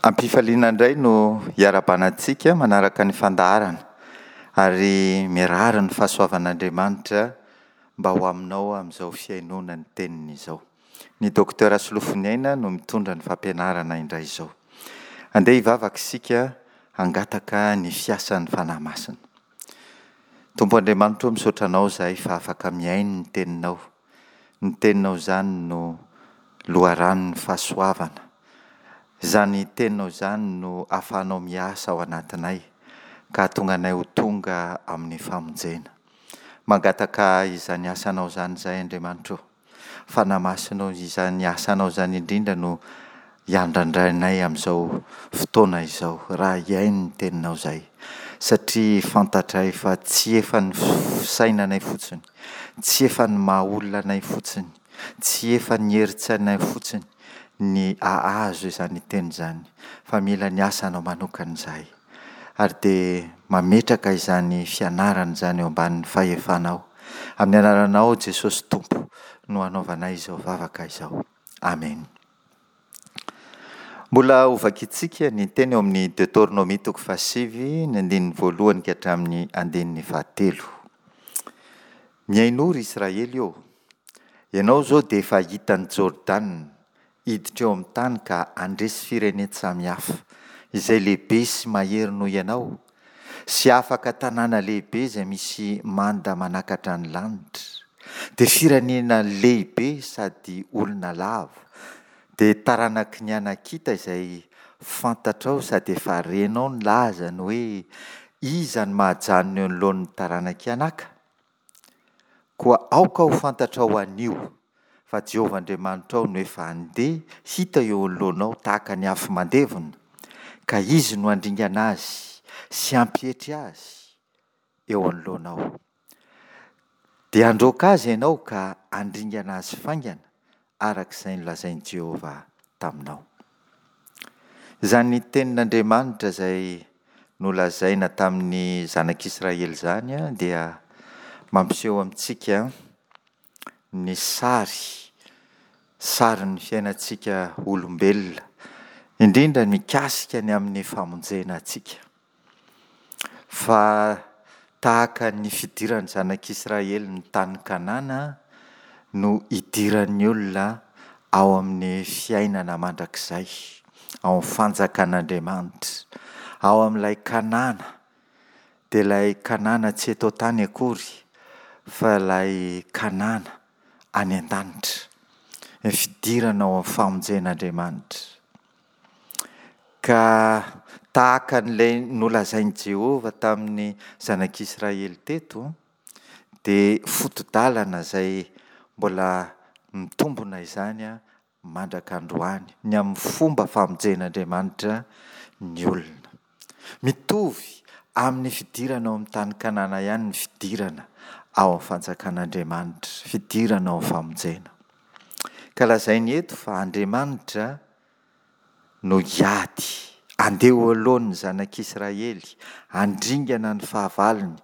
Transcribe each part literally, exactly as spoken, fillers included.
Am-pifaliana indray no hiarahabana antsika manaraka ny fandaharana ary mirary ny fahasoavan'Andriamanitra mba ho aminao amin'izao fihainoana ny teniny izao. Ny Docteur Solofoniaina no mitondra ny fampianarana indray izao. Andeha hivavaka isika hangataka ny fiasan'ny Fanahy Masina. Tompo Andriamanitra o, misaotra Anao izahay fa afaka mihaino ny Teninao. Ny Teninao izany no loharanon'ny fahasoavana. Izany Teninao izany no ahafahanao miasa ao anatinay ka hahatonga anay ho tonga amin'ny famonjena. Mangataka izany asanao izany izahay Andriamanitra o. Fanahy Masina o, izany asanao izany indrindra no hiandrandrainay amin'izao fotoana izao raha hihaino ny Teninao izahay. Satria fantatray fa tsy efa ny fisainanay fotsiny, tsy efa ny maha olona anay fotsiny, tsy efa ny herin-tsainay fotsiny ny hahazo izany teny izany, fa mila ny asanao manokana izahay. Ary dia mametraka izany fianarana izany eo ambanin'ny fahefanao. Amin'ny anaranao Jesosy Tompo no hanaovanay izao vavaka izao. Amen. Mbola hovakintsika ny teny eo amin'ny Deoteronomia toko fahasivy, ny andininy voalohany ka hatramin'ny andininy fahatelo. Mihainoa ry Israely ô! Ianao izao dia efa hitan'i Jordana hiditra eo amin'ny tany ka handresy firenen-tsamihafa, izay lehibe sy mahery noho ianao, sy afaka tanàna lehibe izay misy manda manakatra ny lanitra, dia firenena lehibe sady olona lava, dia taranaky ny Anakita izay fantatrao sady efa renao ny lazany hoe, Iza no mahajanona eo anoloan'ny taranak'i Anaka? Koa aoka ho fantatrao anio fa Jehovah Andriamanitrao no efa handeha hita eo anoloanao tahaka ny afo mandevona, ka Izy no handringana azy sy hampietry azy eo anoloanao. Dia handroaka azy ianao ka handringana azy faingana, araka izay nolazain'i Jehovah taminao. Izany tenin'Andriamanitra izay nolazaina tamin'ny zanak'Israely izany dia mampiseho amintsika ny sary, sarin'ny fiainantsika olombelona, indrindra mikasika ny amin'ny famonjena antsika. Fa tahaka ny fidiran'ny zanak'Israely ny tany Kanana no idiran'ny olona ao amin'ny fiainana mandrakizay, ao amin'ny fanjakan'Andriamanitra, ao amin'ilay Kanana, dia ilay Kanana tsy eto an-tany akory, fa ilay Kanana any an-danitra, ny fidirana ao amin'ny famonjen'Andriamanitra. Ka tahaka an'ilay nolazain'i Jehovah tamin'ny zanak'Israely teto, dia foto-dalana izay mbola mitombona izany mandraka androany, ny amin'ny fomba famonjen'Andriamanitra ny olona. Mitovy amin'ny fidirana ao amin'ny tany Kanana ihany ny fidirana ao amin'ny fanjakan'Andriamanitra, fidirana ao amin'ny famonjena. Ka lazainy eto fa Andriamanitra no hiady, handeha ho alohan'ny zanak'Israely, handringana ny fahavalony.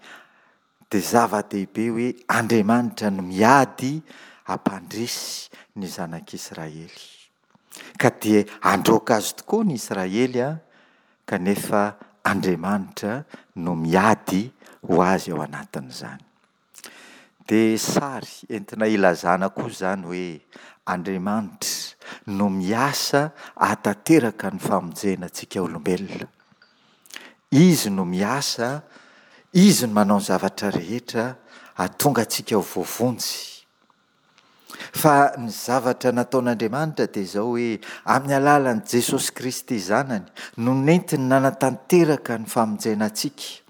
Dia zava-dehibe hoe Andriamanitra no miady hampandresy ny zanak'Israely. Ka dia handroaka azy tokoa ny Israely, kanefa Andriamanitra no miady ho azy ao anatin'izany. Dia sary entina ilazana koa izany hoe Andriamanitra no miasa hahatanteraka ny famonjena antsika olombelona. Izy no miasa, Izy no manao ny zavatra rehetra hahatonga antsika ho voavonjy. Fa ny zavatra nataon'Andriamanitra dia izao hoe amin'ny alalan'i Jesosy Kristy Zanany no nentiny nanatanteraka ny famonjena antsika.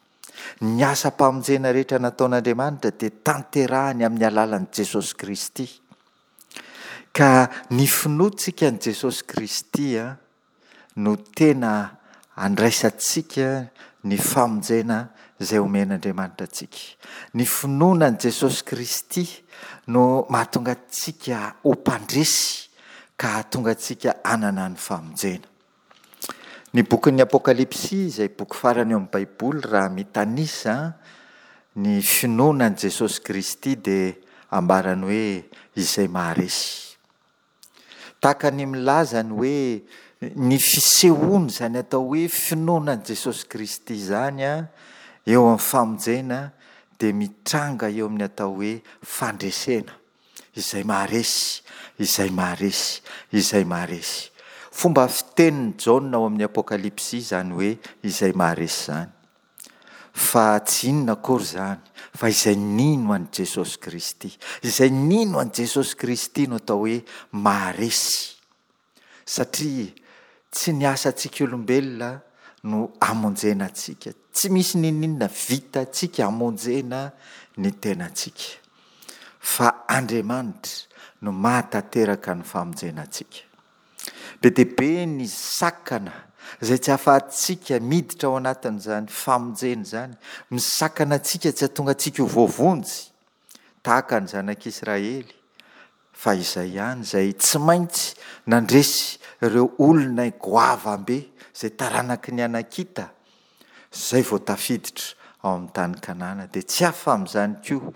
Ny asam-pamonjena rehetra nataon'Andriamanitra dia tanterahiny amin'ny alalan'i Jesosy Kristy. Ka ny finoantsika an'i Jesosy Kristy no tena andraisantsika ny famonjena izay omen'Andriamanitra antsika. Ny finoana an'i Jesosy Kristy no mahatonga antsika ho mpandresy ka hahatonga antsika hanana ny famonjena. Ny bokin'ny Apokalypsy, izay boky farany eo amin'ny Baiboly, raha mitanisa ny finoana an'i Jesosy Kristy dia ambarany hoe izay maharesy. Tahaka ny milaza ny hoe ny fisehoan'izany atao hoe finoana an'i Jesosy Kristy izany eo amin'ny famonjena dia mitranga eo amin'ny atao hoe fandresena. Izay maharesy, izay maharesy, izay maharesy. Fomba fitenin'i Jaona ao amin'ny Apokalypsy izany hoe izay maharesy izany. Fa tsy inona akory izany fa izay nino an'i Jesosy Kristy. Izay nino an'i Jesosy Kristy no atao hoe maharesy. Satria tsy ny asantsika olombelona no hamonjena antsika. Tsy misy n'inon'inona vitantsika hamonjena ny tenantsika. Fa Andriamanitra no mahatanteraka ny famonjena antsika. Be dia be ny sakana izay tsy ahafahantsika miditra ao anatin'izany famonjena izany. Misakana antsika tsy hahatonga antsika ho voavonjy tahaka ny zanak'Israely. Fa izay ihany izay tsy maintsy nandresy ireo olona goavam-be izay taranaky ny Anakita, izay vao tafiditra ao amin'ny tany Kanana. Dia tsy hafa amin'izany koa,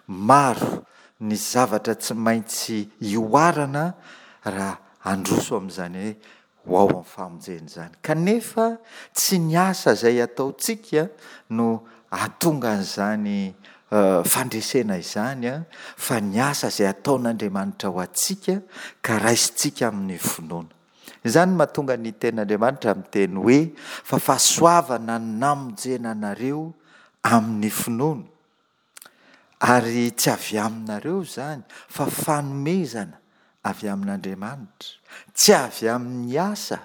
maro ny zavatra tsy maintsy ihoarana raha handroso amin'izany hoe ho ao amin'ny famonjena izany. Kanefa tsy ny asa izay ataontsika no hahatonga an'izany fandresena izany, fa ny asa izay ataon'Andriamanitra ho antsika ka raisintsika amin'ny finoana. Izany no mahatonga ny Tenin'Andriamanitra miteny hoe, fa fahasoavana no namonjena anareo amin'ny finoana. Ary tsy avy aminareo izany, fa fanomezana avy amin'Andriamanitra, tsy avy amin'ny asa,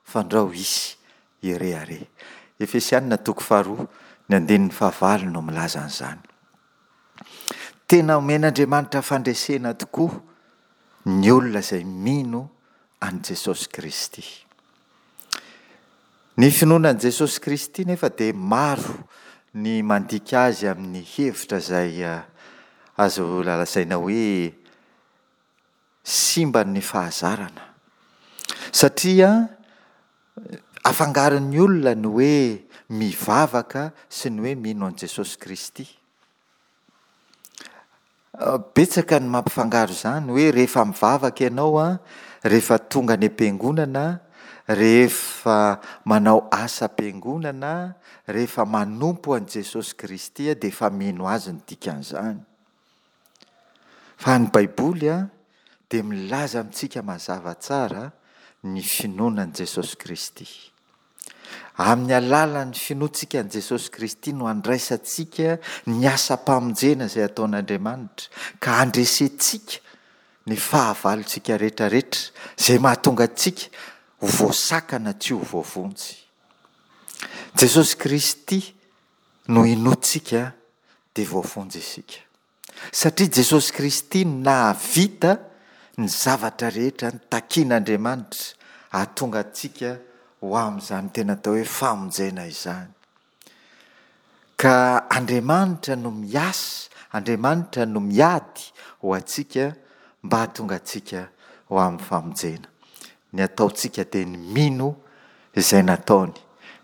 fandrao hisy hirehareha. Efesiana toko faharoa, ny andininy fahavalo no milaza an'izany. Tena omen'Andriamanitra fandresena tokoa ny olona izay mino an'i Jesosy Kristy. Ny finoana an'i Jesosy Kristy nefa dia maro ny mandika azy amin'ny hevitra izay azo lazaina hoe simba ny fahazarana. Satria afangaron'ny olona ny hoe mivavaka sy ny hoe mino an'i Jesosy Kristy. Betsaka ny mampifangaro izany hoe rehefa mivavaka ianao an, rehefa tonga any am-piangonana, rehefa manao asam-piangonana, rehefa manompo an'i Jesosy Kristy dia efa mino azy ny dikan'izany. Fa ny Baiboly an, dia milaza amintsika mazava tsara ny finoana an'i Jesosy Kristy. Amin'ny alalan'ny finoantsika an'i Jesosy Kristy no andraisantsika ny asam-pamonjena izay ataon'Andriamanitra, ka handresentsika ny fahavalontsika rehetrarehetra izay mahatonga antsika ho voasakana tsy ho voavonjy. Jesosy Kristy no inoantsika dia voavonjy isika. Satria Jesosy Kristy no nahavita ny zavatra rehetra nitakian'Andriamanitra hahatonga antsika ho amin'izany tena atao hoe famonjena izany. Ka Andriamanitra no miasa, Andriamanitra no miady ho antsika mba hahatonga antsika ho amin'ny famonjena. Ny ataontsika dia ny mino izay nataony,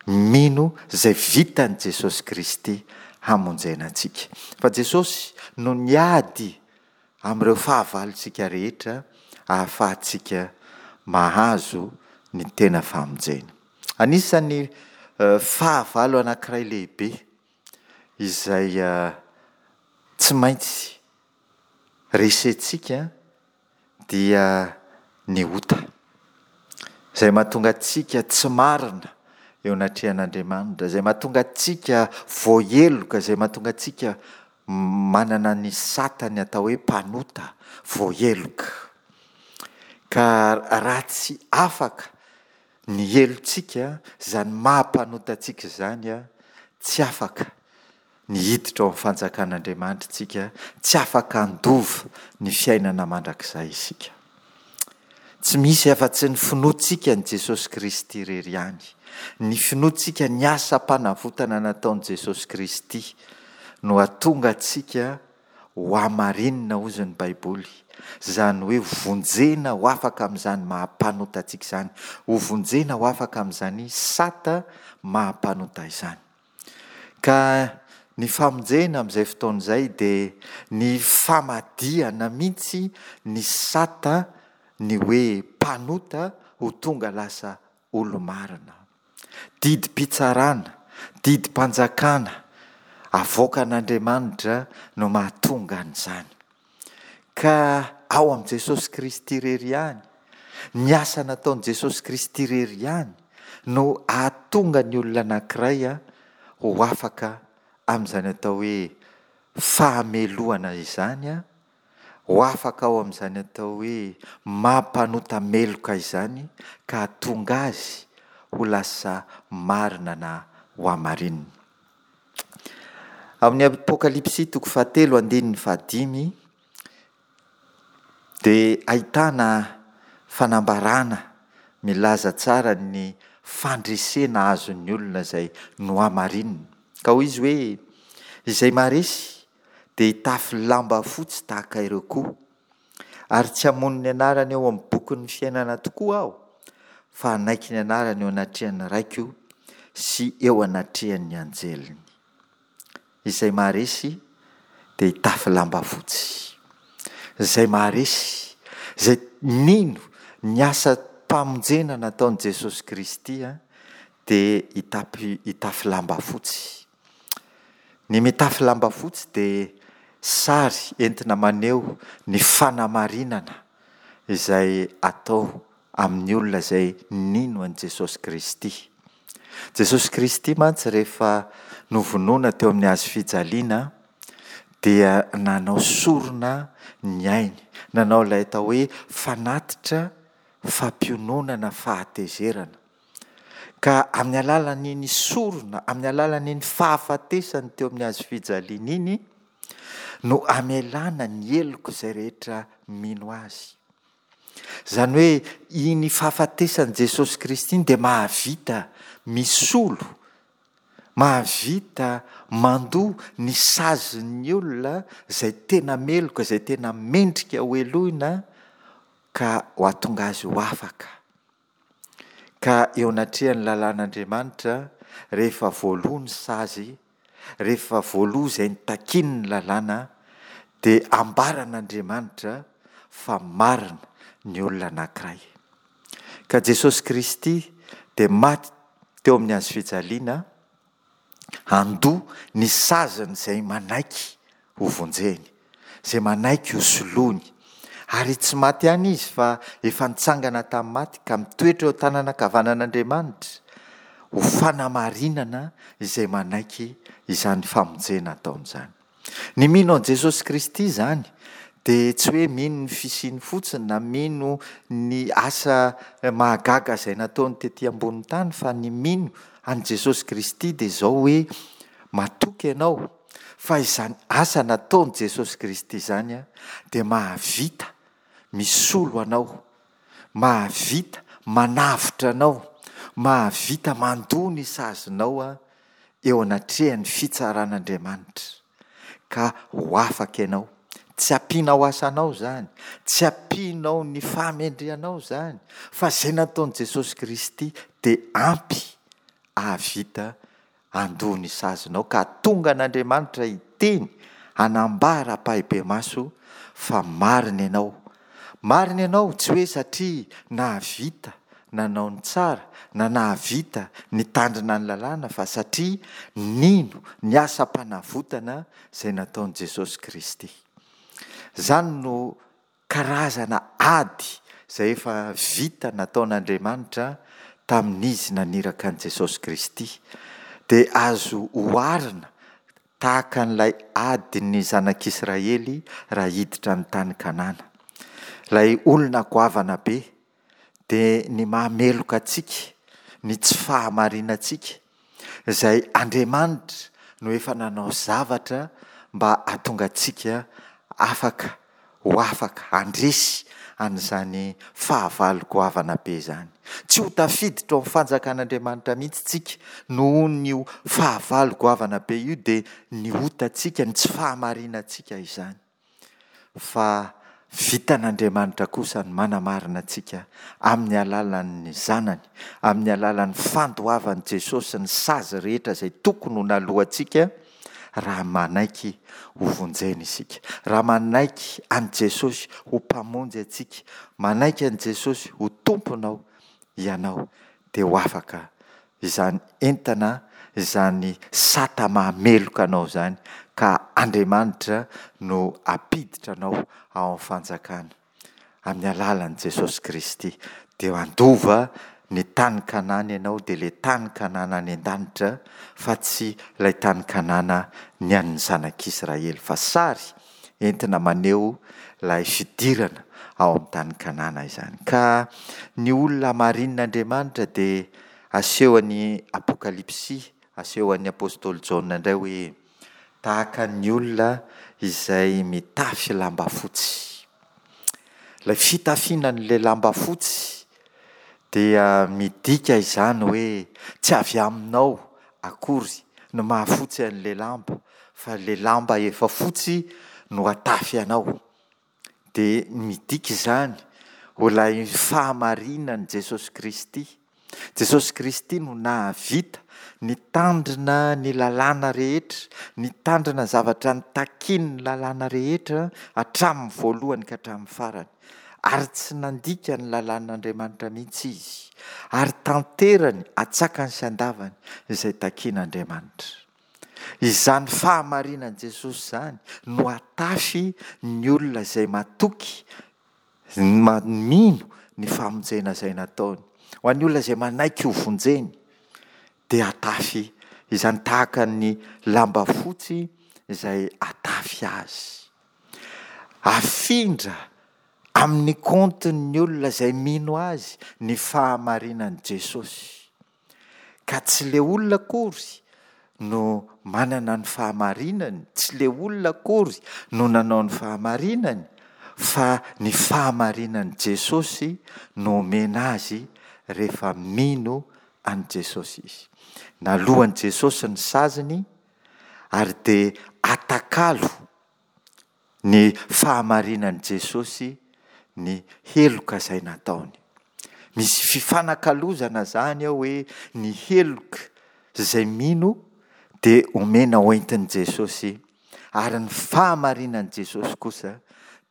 mino izay vitan'i Jesosy Kristy hamonjena antsika. Fa Jesosy no niady amin'ireo fahavalontsika rehetra ahafahantsika mahazo ny tena famonjena. Anisan'ny fahavalo anankiray lehibe izay tsy maintsy resentsika dia ny ota, izay mahatonga antsika tsy marina eo anatrehan'Andriamanitra, izay mahatonga antsika voaheloka, izay mahatonga antsika manana ny satany atao hoe mpanota voaheloka. Ka raha tsy afaka ny helotsika, izany maha mpanota antsika izany, tsy afaka ny hiditra ao amin'ny fanjakan'Andriamanitra isika, tsy afaka handova ny fiainana mandrakizay isika. Tsy misy afa-tsy ny finoantsika an'i Jesosy Kristy irery ihany, ny finoantsika ny asam-panavotana nataon'i Jesosy Kristy no hahatonga antsika ho hamarinina hozy ny Baiboly, izany hoe vonjena ho afaka amin'izany maha mpanota antsika izany, ho vonjena ho afaka amin'izany sata maha mpanota izany. Ka ny famonjena amin'izay fotoana izay dia ny famadihana mihitsy ny sata ny hoe mpanota ho tonga lasa olo-marina. Didim-pitsarana, didim-panjakana avoakan'Andriamanitra no mahatonga an'izany. Ka ao amin'i Jesosy Kristy irery ihany, ny asa nataon'i Jesosy Kristy irery ihany no ahatonga ny olona anankiray ho afaka amin'izany atao hoe fahamelohana izany, ho afaka ao amin'izany atao hoe maha mpanota meloka izany ka hahatonga azy ho lasa marina na ho hamarinina. Amin'ny Apokalypsy toko fahatelo andininy fahadimy dia ahitana fanambarana milaza tsara ny fandresena azon'ny olona izay nohamarinina. Ka hoy izy hoe, Izay maharesy dia hitafy lamba fotsy tahaka ireo koa, ary tsy hamono ny anarany eo amin'ny bokin'ny fiainana tokoa aho, fa hanaiky ny anarany eo anatrehan'ny Raiko sy eo anatrehan'ny anjeliny. Izay maharesy dia hitafy lamba fotsy. Izay maharesy, izay nino ny asam-pamonjena nataon'i Jesosy Kristy dia hitapy hitafy lamba fotsy. Ny mitafy lamba fotsy dia sary entina maneho ny fanamarinana izay atao amin'ny olona izay nino an'i Jesosy Kristy. Jesosy Kristy mantsy rehefa novonoina teo amin'ny hazo fijaliana dia nanao sorona ny ainy, nanao ilay atao hoe fanatitra fampiononana fahatezerana. Ka amin'ny alalan'iny sorona, amin'ny alalan'iny fahafatesany teo amin'ny hazo fijaliana iny no amelana ny heloka izay rehetra mino azy. Izany hoe iny fahafatesan'i Jesosy Kristy iny dia mahavita misolo, mahavita mandoa ny sazin'ny olona izay tena meloka, izay tena mendrika hohelohina ka ho ahatonga azy ho afaka. Ka eo anatrehan'ny lalàn'Andriamanitra, rehefa voaloa ny sazy, rehefa voaloa izay notakian'ny lalàna, dia ambaran'Andriamanitra fa marina ny olona anankiray. Ka Jesosy Kristy dia maty teo amin'ny hazo fijaliana, Handoa ny sazin'izay manaiky ho vonjeny, izay manaiky ho soloiny. Ary tsy maty ihany izy fa efa nitsangana tamin'ny maty ka mitoetra eo an-tanana ankavanan'Andriamanitra ho fanamarinana izay manaiky izany famonjena ataony izany. Ny mino an'i Jesosy Kristy izany dia tsy hoe mino ny fisiany fotsiny na mino ny asa mahagaga izay nataony tety ambonin'ny tany fa ny mino an'i Jesosy Kristy dia izao hoe matoky ianao fa izany asa nataon'i Jesosy Kristy izany dia mahavita misolo anao, mahavita manavotra anao, mahavita mandoa ny sazinao eo anatrehan'ny fitsaran'Andriamanitra, ka ho afaka ianao. Tsy ampianao asanao izany, tsy ampianao ny fahamendrehanao izany, fa izay nataon'i Jesosy Kristy dia ampy hahavita handoa ny sazinao, ka hahatonga an'Andriamanitra hiteny, hanambara ampahibemaso fa marina ianao. Marina ianao, tsy hoe satria nahavita nanao ny tsara na nahavita nitandrina ny lalàna fa satria nino ny asam-panavotana izay nataon'i Jesosy Kristy. Izany no karazana ady izay efa vita nataon'Andriamanitra tamin'Izy naniraka an'i Jesosy Kristy, dia azo oharina tahaka an'ilay adin'ny zanak'Israely raha hiditra ny tany Kanana. Ilay olona goavana be dia ny maha-meloka antsika, ny tsy fahamarinantsika, izay Andriamanitra no efa nanao zavatra mba hahatonga antsika afaka ho afaka handresy an'izany fahavalo goavana be izany. Tsy ho tafiditra ao amin'ny fanjakan'Andriamanitra mihitsy tsika nohon'io fahavalo goavana be io dia ny otantsika, ny tsy fahamarinantsika izany. Fa vitan'Andriamanitra kosa ny manamarina antsika amin'ny alalan'ny Zanany, amin'ny alalan'ny fandoavan'i Jesosy ny sazy rehetra izay tokony ho naloantsika raha manaiky ho vonjena isika. Raha manaiky an'i Jesosy ho Mpamonjy antsika, manaiky an'i Jesosy ho Tomponao ianao dia ho afaka izany entana, izany sata mahameloka anao izany ka Andriamanitra no hampiditra anao ao amin'ny fanjakana amin'ny alalan'i Jesosy Kristy. Dia handova ny tany Kanana ianao, dia ilay tany Kanana any an-danitra fa tsy ilay tany Kanana ny an'ny zanak'Israely fa sary entina maneho ilay fidirana ao amin'ny tany Kanana izany. Ka ny olona hamarinin'Andriamanitra dia asehon'ny Apokalypsy, asehon'ny apostoly Jaona indray hoe tahaka ny olona izay mitafy lamba fotsy. Ilay fitafiana an'ilay lamba fotsy dia midika izany hoe tsy avy aminao akory no mahafotsy an'ilay lamba fa ilay lamba efa fotsy no atafy anao. Dia midika izany ho ilay fahamarinan'i Jesosy Kristy. Jesosy Kristy no nahavita nitandrina ny lalàna rehetra, nitandrina zavatra nitakian'ny lalàna rehetra hatramin'ny voalohany ka hatramin'ny farany. Ary tsy nandika ny lalàn'Andriamanitra mihitsy izy. Ary tanterany atsakany sy andavany izay takian'Andriamanitra. Izany fahamarinan'i Jesosy izany no atafy ny olona izay matoky, mino ny famonjena izay nataony. Ho an'ny olona izay manaiky ho vonjeny dia atafy izany tahaka ny lamba fotsy izay atafy azy. Afindra amin'ny kaontin'ny olona izay mino azy ny fahamarinan'i Jesosy. Ka tsy le olona akory no manana ny fahamarinany, tsy le olona akory no nanao ny fahamarinany, fa ny fahamarinan'i Jesosy no omena azy rehefa mino an'i Jesosy izy. Naloan'i Jesosy ny saziny ary dia atakalo ny fahamarinan'i Jesosy ny heloka izay nataony. Misy fifanakalozana izany ao hoe ny heloka izay mino dia omena hoentin'i Jesosy ary ny fahamarinan'i Jesosy kosa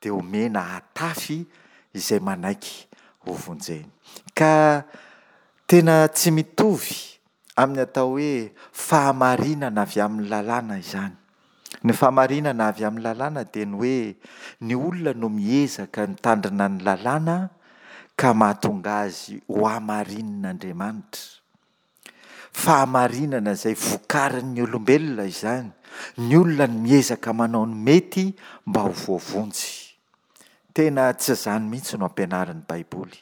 dia omena hatafy izay manaiky ho vonjeny. Ka tena tsy mitovy amin'ny atao hoe fahamarinana avy amin'ny lalàna izany. Ny fahamarinana avy amin'ny lalàna dia ny hoe ny olona no miezaka mitandrina ny lalàna ka mahatonga azy ho hamarinin'Andriamanitra. Fahamarinana izay vokarin'ny olombelona izany. Ny olona no miezaka manao ny mety mba ho voavonjy. Tena tsy izany mihitsy no ampianarin'ny Baiboly.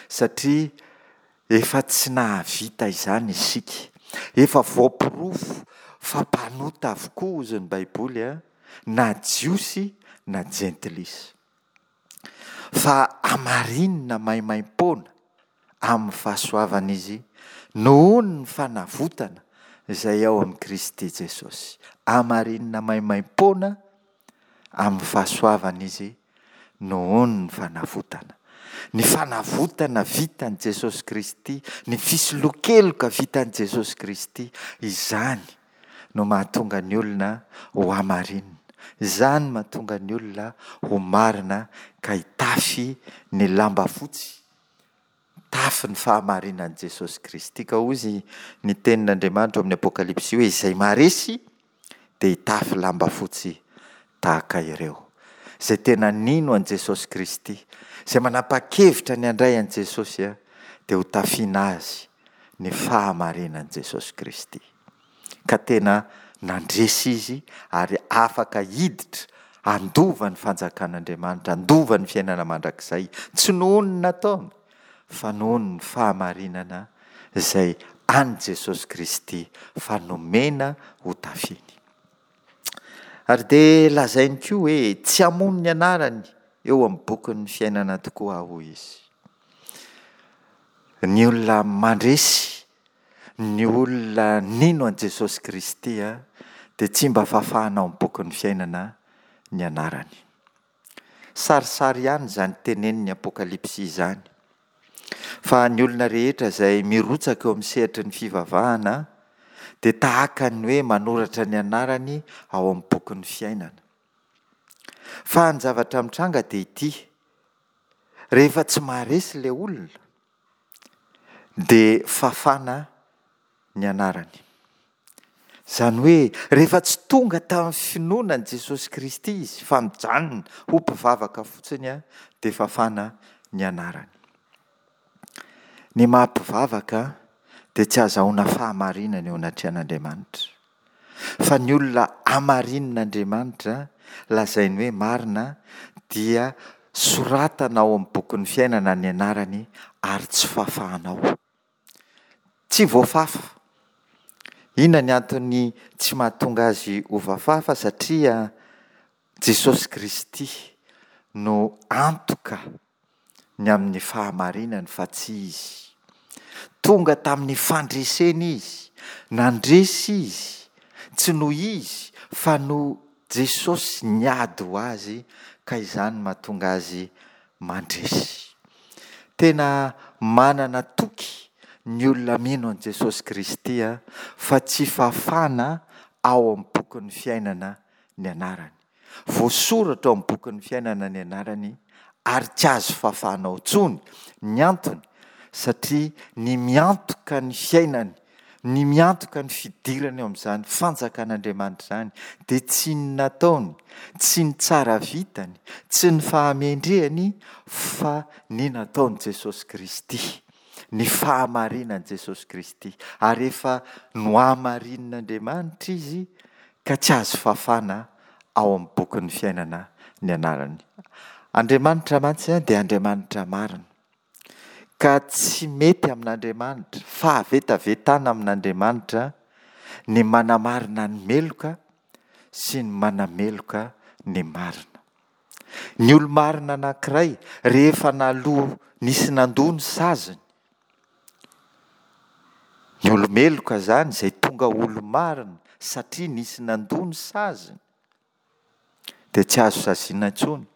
Satria efa tsy nahavita izany isika. Efa voaporofo fa mpanota avokoa hozy ny Baiboly, na Jiosy na Jentilisa. Fa hamarinina maimaimpoana amin'ny fahasoavana izy nohon'ny fanavotana izay ao amin'i Kristy Jesosy. Hamarinina maimaimpoana amin'ny fahasoavana izy nohon'ny fanavotana. Ny fanavotana vitan'i Jesosy Kristy, ny fisoloan-keloka vitan'i Jesosy Kristy, izany no mahatonga ny olona ho hamarinina. Izany no mahatonga ny olona ho marina ka hitafy ny lamba fotsy, mitafy ny fahamarinan'i Jesosy Kristy. Ka hoy izy ny tenin'Andriamanitra ao amin'ny Apokalypsy hoe izay maharesy dia hitafy lamba fotsy tahaka ireo. Izay tena nino an'i Jesosy Kristy, izay manapa-kevitra ny handray an'i Jesosy dia ho tafiana azy ny fahamarinan'i Jesosy Kristy. Ka tena nandresy izy ary afaka hiditra handova ny fanjakan'Andriamanitra, handova ny fiainana mandrakizay, tsy noho ny nataony fa noho ny fahamarinana izay an'i Jesosy Kristy fa nomena ho tafiany. Ary dia lazainy koa hoe tsy hamono ny anarany eo amin'ny bokin'ny fiainana tokoa aho, hoy izy. Ny olona mandresy, ny olona nino an'i Jesosy Kristy dia tsy mba fafahana ao amin'ny bokin'ny fiainana ny anarany. Sarisary ihany izany tenenin'ny Apokalypsy izany. Fa ny olona rehetra izay mirotsaka eo amin'ny sehatry ny fivavahana dia tahaka ny hoe manoratra ny anarany ao amin'ny bokin'ny fiainana. Fa ny zavatra mitranga dia ity, rehefa tsy maharesy ilay olona dia fafana ny anarany. Izany hoe rehefa tsy tonga tamin'ny finoana an'i Jesosy Kristy izy fa mijanona ho mpivavaka fotsiny dia fafana ny anarany. Ny maha mpivavaka dia tsy ahazahoana fahamarinana eo anatrehan'Andriamanitra. Fa ny olona hamarinin'Andriamanitra, lazainy hoe marina, dia soratana ao amin'ny bokin'ny fiainana ny anarany ary tsy fafana ao. Tsy voafafa. Inona ny antony tsy mahatonga azy ho voafafa? Satria Jesosy Kristy no antoka ny amin'ny fahamarinany fa tsy izy. Tonga tamin'ny fandresena izy, nandresy izy, tsy noho izy fa noho Jesosy niady ho azy ka izany mahatonga azy mandresy. Tena manana toky ny olona mino an'i Jesosy Kristy fa tsy fafana ao amin'ny bokin'ny fiainana ny anarany. Voasoratra ao amin'ny bokin'ny fiainana ny anarany ary tsy azo fafana ao intsony. Ny antony, satria ny miantoka ny fiainany, ny miantoka ny fidirany ao amin'izany fanjakan'Andriamanitra izany dia tsy ny nataony, tsy ny tsara vitany, tsy ny fahamendrehany fa ny nataon'i Jesosy Kristy, ny fahamarinan'i Jesosy Kristy. Ary efa nohamarinin'Andriamanitra izy ka tsy azo fafana ao amin'ny bokin'ny fiainana ny anarany. Andriamanitra mantsy dia Andriamanitra marina. Ka tsy mety amin'Andriamanitra, fahavetavetana amin'Andriamanitra ny manamarina ny meloka sy ny manameloka ny marina. Ny olo-marina anankiray rehefa naloa nisy nandoa ny saziny, ny olo-meloka izany izay tonga olo-marina satria nisy nandoa ny saziny, dia tsy azo saziana intsony.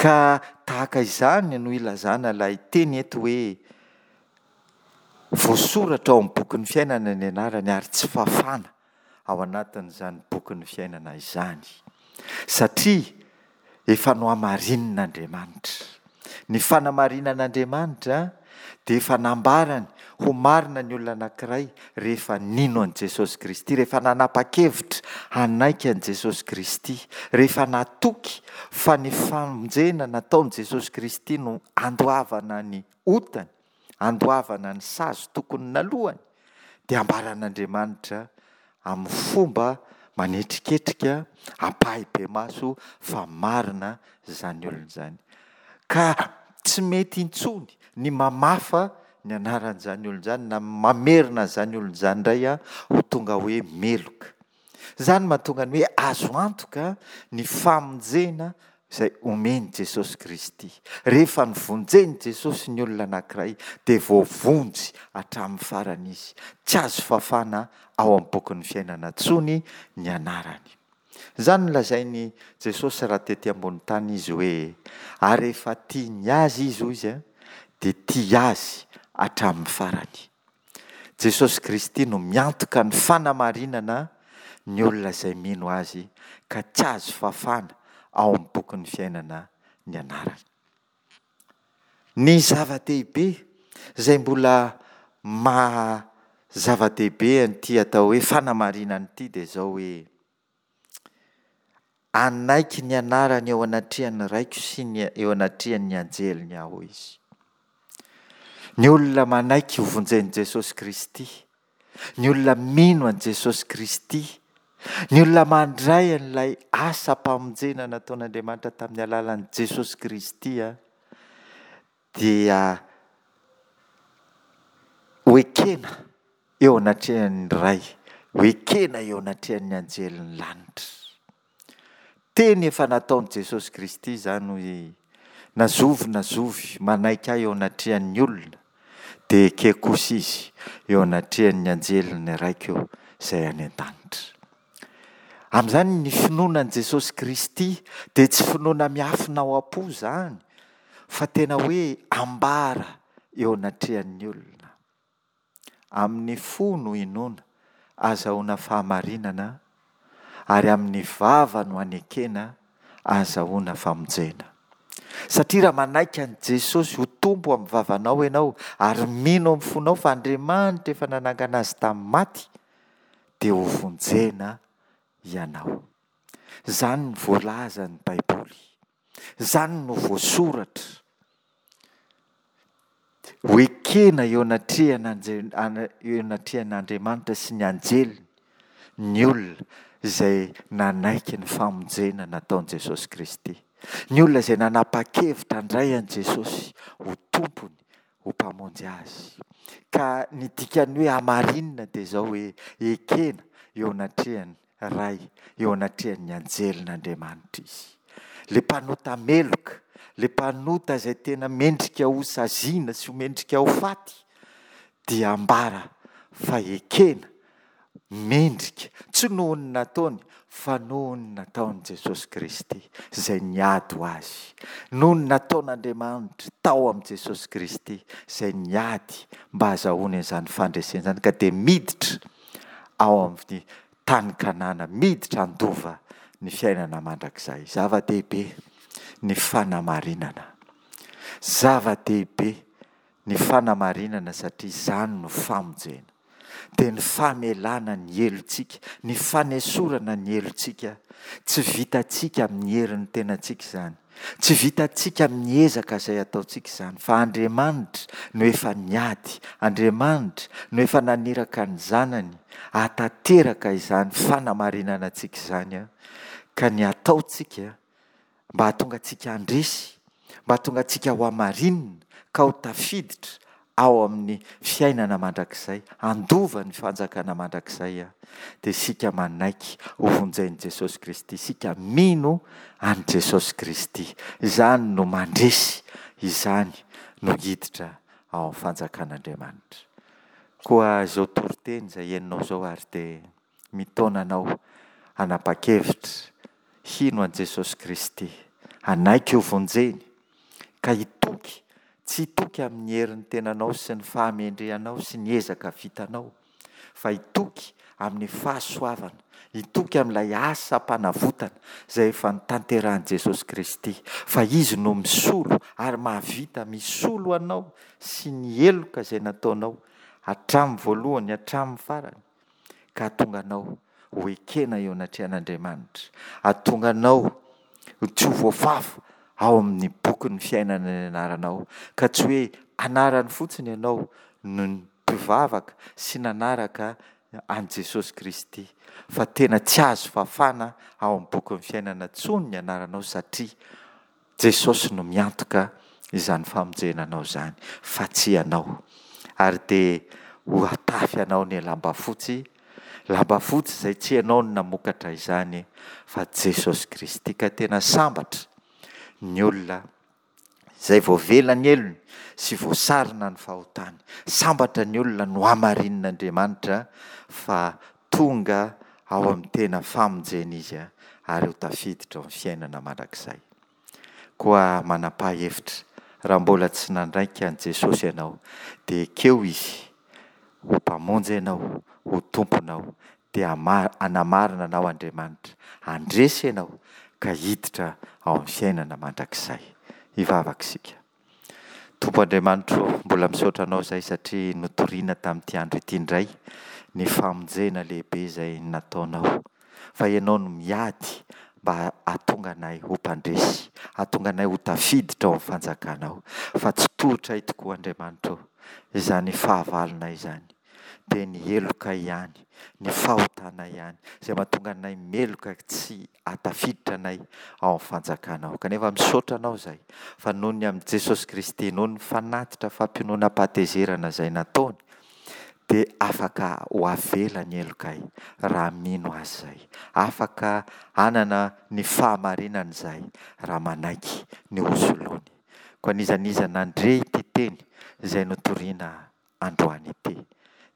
Ka tahaka izany no ilazana ilay teny eto hoe voasoratra ao amin'ny bokin'ny fiainana ny anarany ary tsy fafana ao anatin'izany bokin'ny fiainana izany. Satria efa nohamarinin'Andriamanitra. Ny fanamarinan'Andriamanitra dia efa nambarany ho marina ny olona anankiray rehefa nino an'i Jesosy Kristy, rehefa nanapa-kevitra hanaiky an'i Jesosy Kristy, rehefa natoky fa ny famonjena nataon'i Jesosy Kristy no andoavana ny otany, andoavana ny sazy tokony nalohany, dia ambaran'Andriamanitra amin'ny fomba manetriketrika, ampahibemaso fa marina izany olona izany. Ka tsy mety intsony ny mamafa ny anaran'izany olona izany na mamerina an'izany olona izany indray ho tonga hoe meloka. Izany mahatonga ny hoe azo antoka ny famonjena izay omen'i Jesosy Kristy. Rehefa novonjen'i Jesosy ny olona anankiray dia voavonjy hatramin'ny farany izy. Tsy azo fafana ao amin'ny bokin'ny fiainana intsony ny anarany. Izany no lazain'i Jesosy raha tety ambony tany izy hoe ary rehefa tia ny azy izy hoy izy dia tia azy hatramin'ny farany. Jesosy Kristy no miantoka ny fanamarinana ny olona izay mino azy ka tsy azo fafana ao amin'ny bokin'ny fiainana ny anarany. Ny zava-dehibe izay mbola maha zava-dehibe an'ity atao hoe fanamarinana ity dia izao hoe hanaiky ny anarany eo anatrehan'ny Raiko sy ny eo anatrehan'ny anjeliny aho izy. Ny olona manaiky ho vonjen'i Jesosy Kristy, ny olona mino an'i Jesosy Kristy, ny olona mandray an'ilay asam-pamonjena nataon'Andriamanitra tamin'ny alalan'i Jesosy Kristy dia ho ekena eo anatrehan'ny Ray, ho ekena eo anatrehan'ny anjelin'ny lanitra. Teny efa nataon'i Jesosy Kristy izany hoe na zovy na zovy manaiky ahy eo anatrehan'ny olona dia ekeko kosa izy eo anatrehan'ny anjelin'ny Raiko izay any an-danitra. Amin'izany ny finoana an'i Jesosy Kristy dia tsy finoana miafina ao am-po izany fa tena hoe ambara eo anatrehan'ny olona. Amin'ny fo no inoana azahoana fahamarinana ary amin'ny vava no anekena azahoana famonjena. Satria raha manaiky an'i Jesosy ho Tompo amin'ny vavanao ianao ary mino amin'ny fonao fa Andriamanitra efa nanangana Azy tamin'ny maty, dia hovonjena ianao. Izany no voalazan'ny Baiboly. Izany no voasoratra. Ho ekena eo anatrehan'Andriamanitra sy ny anjeliny ny olona izay nanaiky ny famonjena nataon'i Jesosy Kristy. Ny olona izay nanapa-kevitra handray an'i Jesosy ho Tompony, ho Mpamonjy azy. Ka ny dikan'ny hoe hamarinina dia izao hoe ekena eo anatrehan'ny Ray, eo anatrehan'ny anjelin'Andriamanitra izy. Ilay mpanota meloka, ilay mpanota izay tena mendrika ho saziana sy ho mendrika ho faty dia ambara fa ekena, mendrika, tsy noho ny nataony fa noho ny nataon'i Jesosy Kristy izay niady ho azy, noho ny nataon'Andriamanitra tao amin'i Jesosy Kristy izay niady mba hahazahoany an'izany fandresena izany ka dia miditra ao amin'ny tany Kanana, miditra handova ny fiainana mandrakizay. Zava-dehibe ny fanamarinana. Zava-dehibe ny fanamarinana satria izany no famonjena. Dia ny famelana ny helotsika, ny fanesorana ny helotsika. Tsy vitantsika amin'ny herin'ny tenantsika izany. Tsy vitantsika amin'ny ezaka izay ataontsika izany, fa Andriamanitra no efa niady, Andriamanitra no efa naniraka ny Zanany hahatanteraka izany fanamarinana antsika izany, ka ny ataontsika mba hahatonga antsika handresy, mba hahatonga antsika ho hamarinina ka ho tafiditra ao amin'ny fiainana mandrakizay, handova ny fanjakana mandrakizay, dia isika manaiky ho vonjen'i Jesosy Kristy, isika mino an'i Jesosy Kristy. Izany no mandresy, izany no hiditra ao amin'ny fanjakan'Andriamanitra. Koa izao toriteny izay henonao izao ary dia mitaona anao hanapa-kevitra hino an'i Jesosy Kristy, hanaiky ho vonjeny, ka hitoky, tsy hitoky amin'ny herin'ny tenanao sy ny fahamendrehanao sy ny ezaka vitanao, fa hitoky amin'ny fahasoavana, hitoky amin'ilay asam-panavotana izay efa notanterahin'i Jesosy Kristy, fa Izy no misolo ary mahavita misolo anao sy ny heloka izay nataonao hatramin'ny voalohany hatramin'ny farany, ka hahatonga anao ho ekena eo anatrehan'Andriamanitra, hahatonga anao ho tsy ho voafafa ao amin'ny bokin'ny fiainana ny anaranao, ka tsy hoe anarany fotsiny ianao no mpivavaka sy nanaraka an'i Jesosy Kristy, fa tena tsy azo fafana ao amin'ny bokin'ny fiainana intsony ny anaranao satria Jesosy no miantoka izany famonjena anao izany fa tsy ianao. Ary dia ho hatafy anao ny lamba fotsy, lamba fotsy izay tsy ianao no namokatra izany fa Jesosy Kristy. Ka tena sambatra ny olona izay voavela ny helony sy voasarona ny fahotany. Sambatra ny olona nohamarinin'Andriamanitra fa tonga ao amin'ny tena famonjena izy ary ho tafiditra ao amin'ny fiainana mandrakizay. Koa manapaha hevitra, raha mbola tsy nandraika an'i Jesosy ianao, dia ekeo Izy ho Mpamonjy anao, ho Tomponao, dia hanamarina anao Andriamanitra, handresy ianao ka hiditra ao amin'ny fiainana mandrakizay. Hivavaka isika. Tompo Andriamanitro ô, mbola misaotra Anao izahay satria notorina tamin'ity andro ity indray ny famonjena lehibe izay nataonao. Fa Ianao no miady mba hahatonga anay ho mpandresy, hahatonga anay ho tafiditra ao amin'ny fanjakanao. Fa tsy tohitray tokoa Andriamanitra ô, izany fahavalonay izany, dia ny heloka ihany, ny fahotana ihany, izay mahatonga anay meloka tsy hahatafiditra anay ao amin'ny fanjakanao. Kanefa misaotra Anao izahay fa noho ny amin'i Jesosy Kristy, noho ny fanatitra fampiononam-pahatezerana izay nataony, dia afaka ho avela ny helokay raha mino Azy izahay. Afaka hanana ny fahamarinana izahay raha manaiky ny hosoloany. Koa n'iza n'iza nandre ity teny izay notorina androany ity,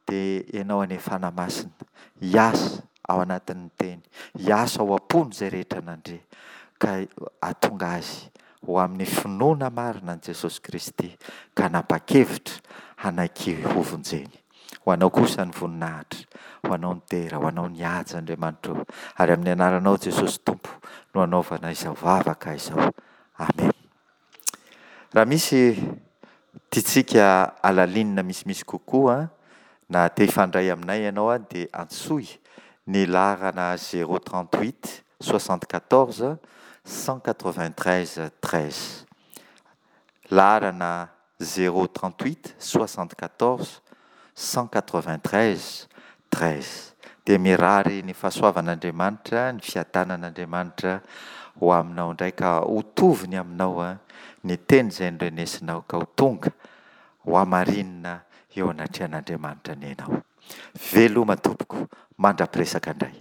dia Ianao anie Fanahy Masina hiasa ao anatin'ny teny, hiasa ao am-pony izay rehetra nandre, ka hahatonga azy ho amin'ny finoana marina an'i Jesosy Kristy ka hanapa-kevitra hanaiky hovonjeny. Ho Anao kosa ny voninahitra, ho Anao ny dera, ho Anao ny haja, Andriamanitra ô, ary amin'ny anaranao Jesosy Tompo no anaovana izao vavaka izao. Amena. Raha misy tiantsika halalinina misimisy kokoa na te hifandray aminay ianao dia antsoy ny laharana zéro trente huit soixante quatorze cent quatre vingt treize treize. Laharana zéro trente huit soixante quatorze cent quatre vingt treize treize. Dia mirary ny fahasoavan'Andriamanitra, ny fiadanan'Andriamanitra ho aminao indray ka ho tovony aminao ny teny izay norenesinao ka ho tonga hohamarinina eo anatrehan'Andriamanitra anie ianao. Veloma tompoko, mandra-piresaka indray.